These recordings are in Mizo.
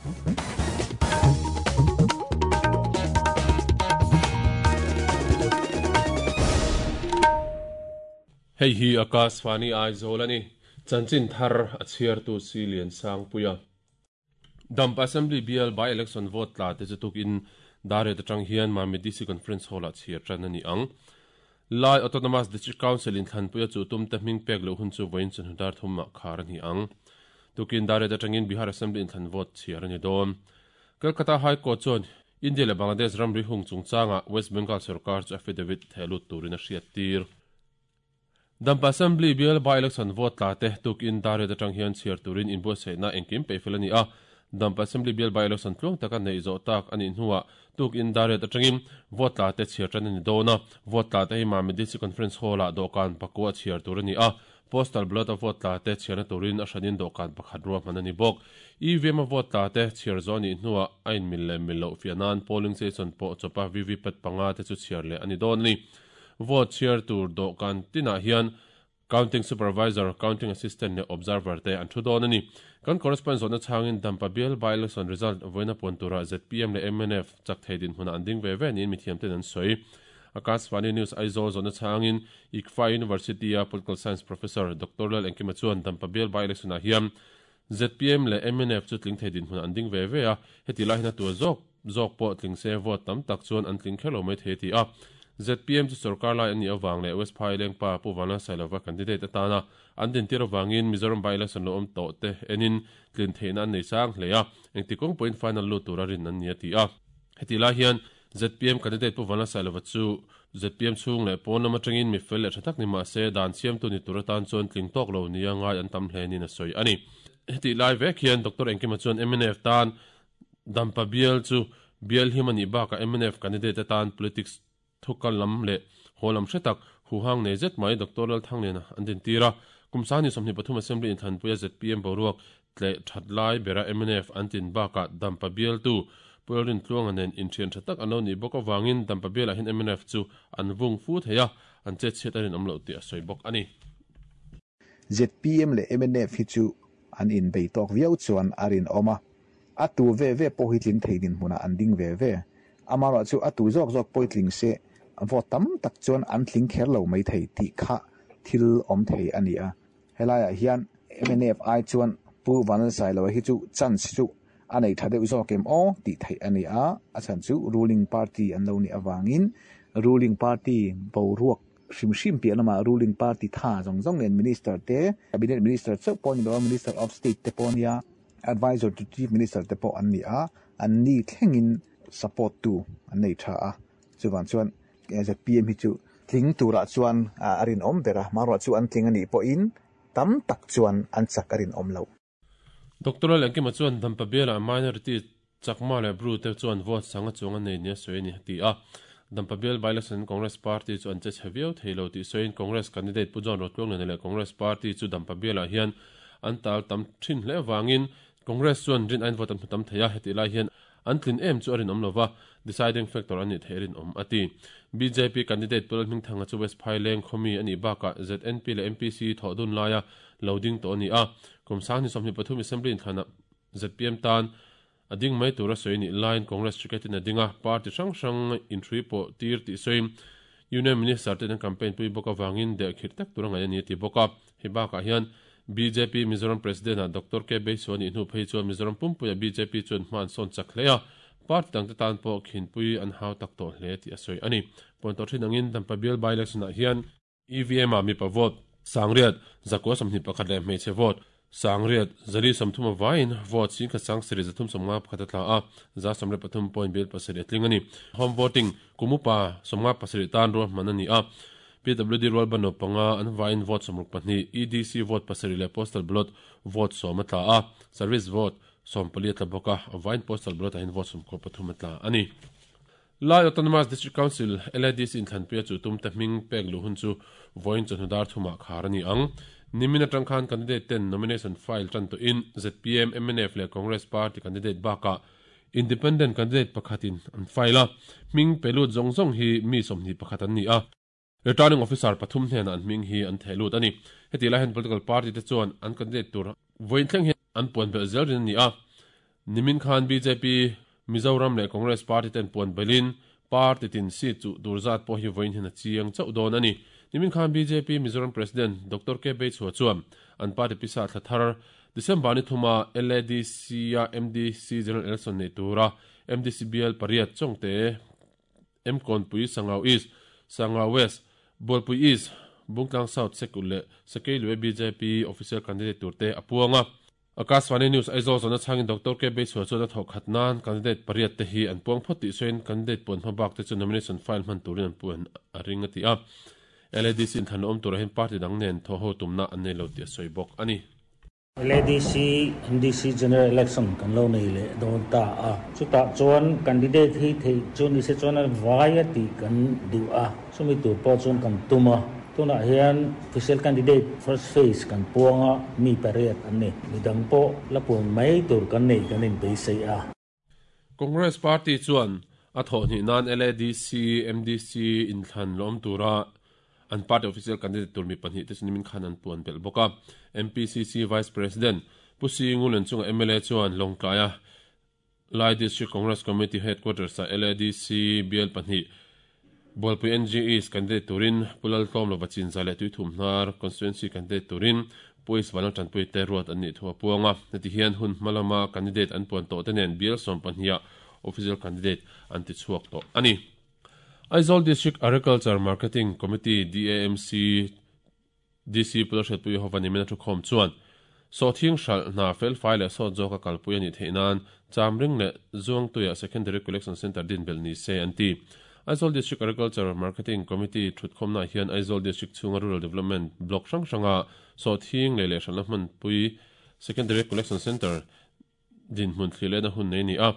Hei hi Akashvani Aizawl a ni. Chanchin thar a chhiartu si Liansangpuia. Dampa Assembly bial by election vote tla te chu tukin dar riat atang hian Mamit DC Conference Hall ah chhiar tan a ni ang. Lai Autonomous District Council in thlanpuia chu tum te hming pek loh hun chu vawiin chawhnu dar thumah khar a ni ang. Tukin dar riat atangin Bihar Assembly inthlan vote chhiar a ni dawn. Calcutta High Court chuan India leh Bangladesh ramri hung chungchangah West Bengal sorkar chu affidavit thehlut turin a hriattir. Dampa Assembly bial by election vote tla te tukin dar riat atang hian chhiar turin inbuatsaihna engkim peihfel a ni a. Dampa Assembly bial by election tluang taka neih zawh tak a nih hnuah tukin dar riat atangin vote tla te chhiar tan a ni dawn a. Vote tla te hi Mamit DC Conference Hall-ah dawhkan pakua chhiar tur a ni a. Postal ballot a vote tla te chhiarna turin a hranin dawhkan pakhat ruahman a ni bawk. EVM a vote tla te chhiar zawh a nih hnuah a inmil leh mil loh fiah nan polling station pawh chawpa VVPAT panga te chu chhiar leh a ni dawn a ni. Vote chhiar tur dawhkan tinah hian Counting Supervisor, Counting Assistant leh Observer te an thu dawn a ni. Kan correspondent zawhna chhangin Dampa bial by-election result vawiina puan turah zpm leh mnf chak thei dinhmunah an ding ve ve niin mithiamten an sawi. Akashvani News Aizawl zawhna chhangin ICFAI University-a Political Science Professor Doctor Lal Engkima chuan Dampa bial by-election-ah hian zpm leh mnf chu tling thei dinhmunah an ding ve ve a, heti lai hian a tua zawk zawk pawh tling se vote tam tak chuan an tling kher lo mai thei a ti a. Zpm chu sorkar lai an nih avang leh West Phaileng pa Pu Vanlalsailova candidate atana an dintir avangin Mizoram by-election lo awm tawh te enin tlin theihna an nei sang hle a, engti kawng pawhin final lut tura rin an ni a ti a. Heti lai hian zpm candidate Pu Vanlalsailova chu zpm chhung leh pawn lam atangin mi fel leh tha tak ni mah se dan siamtu ni tur atan chuan tling tawk lo nia ngai an tam hle niin a sawi a ni. Heti lai vek hian Doctor Engkima chuan mnf tan Dampa bial chu bial him a nih bakah mnf candidate atan politics thukal lam leh haw lam hre tak huhang nei zet mai Doctor Lalthangliana an dintir a. Kum sangni 23 Assembly inthlanpuia zpm boruak tleh that lai bera mnf an tin bakah Dampa bialtu Pu Lalrintluanga nen inthian tha tak an lo nih bawk avangin Dampa bialah hian mnf chu an vung fu thei a, an chetchhiat a rinawm loh tih a sawi bawk a ni. Zpm leh mnf hi chu an inbei tawk viau chuan a rinawm a, a tu ve ve pawh hi tling thei dinhmunah an ding ve ve. Amaherawhchu a tu zawk zawk pawh hi tling se vote tam tak chuan an tling kher lo mai thei tih kha thil awm thei a ni a. Helaiah hian mnf ai chuan Pu Vanlalsailoa hi chu chance chu a nei tha deuh zawk em aw tih theih a ni a, a chhan chu ruling party an lo nih avangin ruling party boruak hrim hrim piah lamah ruling party tha zawng zawng nen minister te, cabinet minister chauh pawh a ni lo a, minister of state te pawh a nia, advisor to chief minister te pawh an ni a, an ni thlengin support tu an nei tha a, chuvang chuan zpm hi chu tling turah chuan a rinawm ber a, hmanruah chu an tling a nih pawhin tam tak chuan an chak a rinawm loh. Doctor Lalengkima chuan Dampa bialah minority Chakma leh Bru te chuan vote sanga chuang a nei nia sawi a ni a ti a. Dampa bial by-election Congress party chu an che chhe viau thei lo tih sawiin Congress candidate Pu John Rotluangliana leh Congress party chu Dampa bialah hian an tal tam thin hle avangin Congress chuan rin ain vote an hmu tam thei a, hetih lai hian an tlin em chu a rinawm lova, deciding factor an nih theih a rinawm a ti. Bjp candidate Pu Lalhmingthanga chu West Phaileng khawmi a nih bakah ZNP leh MPC thawh dun laia lo ding tawh a ni a. Kum 2023 Assembly inthlanah zpm tan a ding mai tura sawi nih laiin Congress ticket in a ding a, party hrang hrang inhrui pawh tir tih sawiin Union Minister ten an campaign pui bawk avangin dehkhirh tak tur a ngaih a ni a ti bawk a. Hei bakah hian bjp Mizoram President ah Doctor K Beiso a nih hnu phei chuan Mizoram pumpuia bjp chuan hma an sawn chak hle a, party dangte tan pawh khinpui an hau tak tawh hle tih a sawi a ni. Puan tawh thin angin Dampa bial by-election ah hian EVM ah mipa vote 900, 121 leh hmeichhe vote 900, 430 avaiin vote 10,000 351 a tla a, 173 point bial pasarih a tling a ni. Home voting kum upa 57 tan ruahman a ni a, PWD rual ban panga an vaiin vote 62, EDC vote pasarih leh postal ballot vote 10 a tla a, service vote 14 a tla bawk a, avaiin postal ballot ah hian vote 93 a tla a ni. Lai Autonomous District Council, LADC inthlanpuia chu tum te hming pek luh hun chu vawiin chawhnu dar thumah khar a ni ang. Nimin atang khan candidate ten nomination file tan tawhin zpm, mnf leh Congress party candidate bakah independent candidate pakhatin an file a. Hming pe lut zawng zawng hi mi 21 an ni a. Returning officer pathum hnenah an hming hi an theh lut a ni. Heti lai hian political party te chuan an candidate tur vawiin thleng hi an puan belh zel rin a ni a. Nimin khan bjp Mizoram leh Congress party ten puan belin party tin seat chuh tur zat pawh hi vawiin hian a chiang chauh dawn a ni. Nimin khan bjp Mizoram President Doctor K Beichhua chuan an party pisa thla thar December ni thuma LADC-a MDC General Election neih tura MDC bial pariat Chawngte, Mkawnpui, Sangau East, Sangau West, Bualpui East, Bungtlang South, Sekulh leh Sakeilue bjp official candidate turte a puang a. Akashvani News Aizawl zawhna chhangin Doctor K Beichhua chuan a thawh khat nan candidate pariat te hi an puang phawt tih sawiin candidate puan hma bak te chu nomination file hman turin an puan a ring a ti a. LADC inthlan awm turah hian party dang nen thawh ho tumna an nei lo tih a sawi bawk a ni. LADC MDC General Election kan lo nei leh dawn ta a, chutah chuan candidate hi theih chu ni se chuan a vai a tih kan duh a, chumi tur pawh chuan kan tum a. Tunah hian official candidate first phase kan puang a, mi pariat an ni. Midang pawh la puan mai tur kan neih kan inbeisei a. Congress party chuan a thawhhnih nan LADC, MDC inthlan lawm tura an party official candidate tur mi pahnihte chu nimin khan an puan belh bawk a. MPCC Vice President Pu Singulen chunga mla chuan Lawngtlaia Lai District Congress Committee Headquarters-ah LADC bial pahnih Bualpui NG East candidate turin Pu Laltlawm Lova Chinza leh Tuithumhnar Constituency candidate turin Pu Isvan Laltanpui te ruat an nih thu a puang a. Heti hian hun hma lama candidate an puan tawh te nen bial 12 ah official candidate an ti chhuak tawh a ni. Aizawl District Agriculture Marketing Committee, DAMC, DC Pu Lalhriatpui Jehova nimin a thukhawm chuan, Sawhthing hralh hna felfai leh sawt zawka kalpui a nih theih nan Chamring leh Zuangtuiah Secondary Collection Centre din belh ni se an ti. Aizawl District Agriculture Marketing Committee thutkhawmnaah hian Aizawl District chhunga Rural Development Block hrang hranga sawhthing lei leh hralhna hmanpui Secondary Collection Centre Dinhmun thlir lehna hun nei a ni a,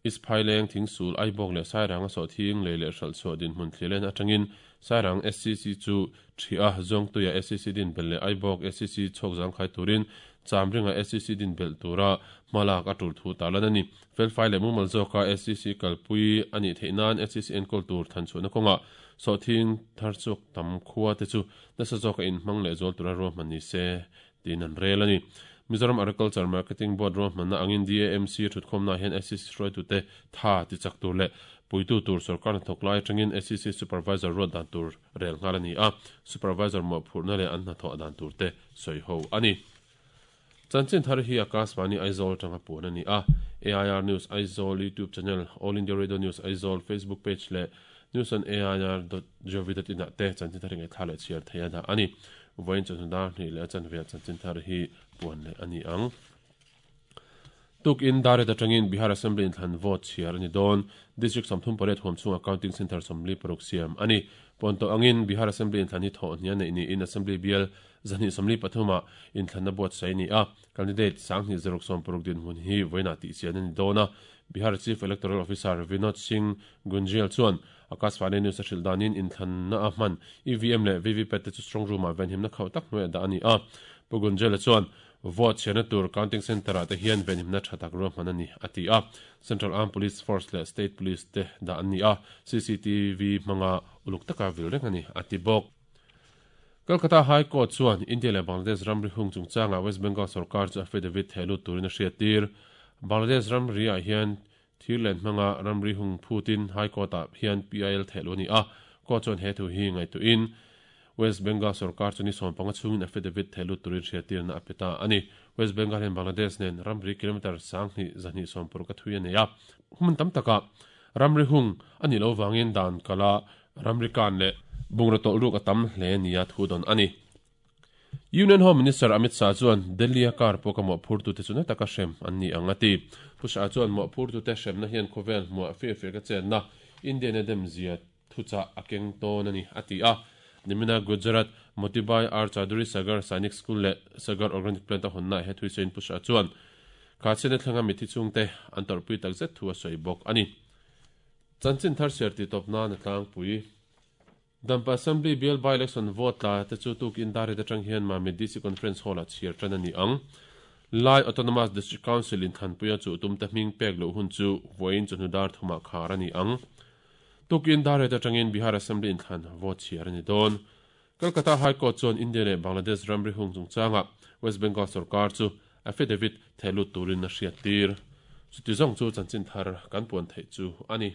Isphai leng, Thingsul, Aibawk leh Sairang a sawhthing lei leh hralh chhuah dinhmun thlir lehna atangin Sairang SCC chu ṭhi a, Zawngtuia SCC din belh leh Aibawk SCC chhawk zangkhai turin Chamringa SCC din belh tura hma lak a tul thu tarlan a ni. Felfai leh mumal zawka SCC kalpui a nih theih nan SCC enkawl tur thanchhuahna kawngah sawhthing thar chhuak tam khua te chu nasa zawka inhmang leh zual tura ruahman ni se tiin an rel a ni. Mizoram Agriculture Marketing Board ruahmanna angin DAMC thutkhawmnaah hian SEC hruaitute tha tichak tur leh puitu tur sorkar hnathawk lai atangin SEC Supervisor ruat dan tur rel nghal a ni a, Supervisor mawhphurhna leh an hnathawh dan tur te sawi ho a ni. Chanchin thar hi Akashvani Aizawl atanga puan a ni a, AIR News Aizawl YouTube channel, All India Radio News Aizawl Facebook page leh News on AIR dot gov dot in ah te chanchin thar hi ngaihthla leh chhiar thei a dah a ni. Vawiin chawhnu dar hnih leh a chanve ah chanchin thar hi puan leh a ni ang. Tukin Daret atangin Bihar Assembly inthlan vote chhiar a ni dawn. District 38 huam chhungah counting centre 46 siam a ni. Puan tawh angin Bihar Assembly inthlan hi thawh hnih a neih niin Assembly bial 223 ah inthlanna buatsaih a ni a. Candidate 2660 dinhmun hi vawiinah tihchian a ni dawn a. Bihar Chief Electoral Officer Vinod Singh Gunjel chuan Akashvani News a hrilh danin inthlanna a hman EVM leh VVPAT te chu strong room-ah venhimna khauh tak hnuaiah dah a ni a. Pu Gunjel-a chuan vote chhiarna tur counting centre-ah te hian venhimna tha tak ruahman a ni, a ti a. Central Armed Police Force leh State Police te dah an ni a, CCTV hmanga uluk taka vil reng a ni, a ti bawk. Kolkata High Court chuan India leh Bangladesh ramri hung chungchangah West Bengal sorkar chu affidavit theh lut turin a hriattir. Bangladesh ramri-ah hian thir len hmanga ramri hung phutin High Court-ah hian PIL theh luh a ni a. Court chuan he thu hi ngaihtuahin West Bengal sorkar chu ni 15 chhungin affidavit theh lut turin hriattirna a pe ta a ni. West Bengal hian Bangladesh nen ramri kilometre 2260 a thui a nei a. Hmun tam takah ramri hung a nih loh vangin dan kala Ramri kan leh bungraw tawlh ruk a tam hle nia thu dawn a ni. Union Home Minister Amit Shah chuan Delhi-a car pawka mawhphurtute chu na taka hrem an ni ang a ti. Pu Shah chuan mawhphurtute hremna hian khawvel hmuah fir fir ka chenna Indian a demzia thuchah a keng tawn a ni a ti a. Nimina Gujarat Motibai R Chaudhary Sagar Sainik School leh Sagar Organic Plant a hawnnaah he thuisawiin Pu Shah chuan kha chhiatna thlenga mitthi chhungte an tawrhpui takzet thu a sawi bawk a ni. Chanchin thar siar tih tawp nan a tlangpui. Dampa Assembly bial by-election vote tla te chu tukin Darit atang hian Mamit DC Conference Hall-ah chhiar tan a ni ang. Lai Autonomous District Council inthlanpuia chuh tumte hming pek loh hun chu vawiin chawhnu dar thumah khar a ni ang. Tukin Darit atangin Bihar Assembly inthlan vote chhiar a ni dawn. Kolkata High Court chuan India leh Bangladesh ramri hung chungchangah West Bengal sorkar chu affidavit thehlut turin a hriattir. Chuti zawng chu chanchin thar kan puan theih chu a ni.